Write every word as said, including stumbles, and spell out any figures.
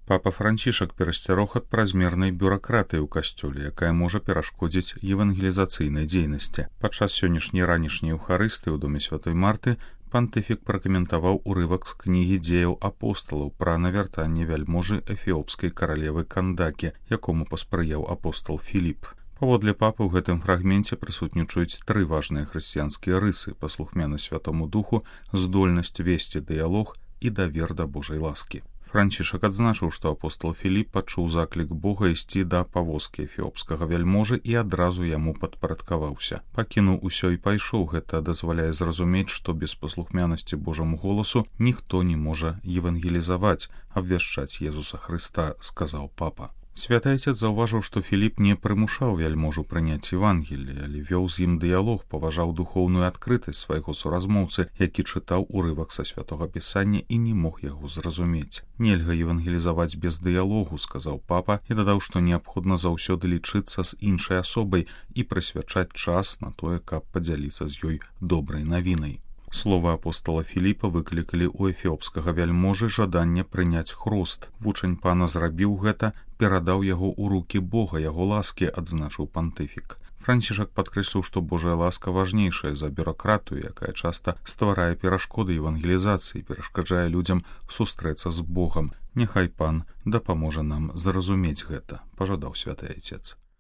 Папа Францішак перасцярог ад празмернай бюракратыі ў касцёле, якая можа перашкодзіць евангелізацыйнай дзейнасці. Падчас сённяшняй ранішняй еўхарыстыі ў доме святой Марты пантыфік пракаментаваў урывак з кнігі дзеяў апосталаў пра навяртанне вяльможы эфіопскай каралевы Кандакі, якому паспрыяў апостал Філіп. Паводле папы ў гэтым фрагменце прысутнічаюць тры важныя хрысціянскія рысы: паслухмянасць Святому Духу, здольнасць весці дыялог і давер да Божай ласкі. Францішак адзначыў, што апостал Філіп пачуў заклік Бога ісці да павозкі эфіопскага вяльможы і адразу яму падпарадкаваўся. Пакінуў усё і пайшоў. Гэта дазваляе зразумець, што без паслухмянасці Божаму голасу ніхто не можа евангелізаваць, абвяшчаць Езуса Хрыста, сказаў папа. Святы Айцец заўважыў, што Філіп не прымушаў вяльможу прыняць Евангелле, але вёў з ім дыялог, паважаў духоўную адкрытасць свайго суразмоўцы, які чытаў урывак са святога пісання і не мог яго зразумець. Нельга евангелізаваць без дыялогу, сказаў папа, і дадаў, што неабходна заўсёды лічыцца з іншай асобай і прысвячаць час на тое, каб падзяліцца з ёй добрай навінай. Словы апостала Філіпа выклікалі ў эфіопскага вяльможы жаданне прыняць хрост. Вучань пана зрабіў гэта, перадаў яго ў рукі Бога, яго ласкі, адзначыў пантыфік. Францішак падкрэсліў, што Божая ласка важнейшая за бюракратыю, якая часта стварае перашкоды евангелізацыі, перашкаджае людзям сустрэцца з Богам. Няхай пан дапаможа нам зразумець гэта, пажадаў святы Айцец.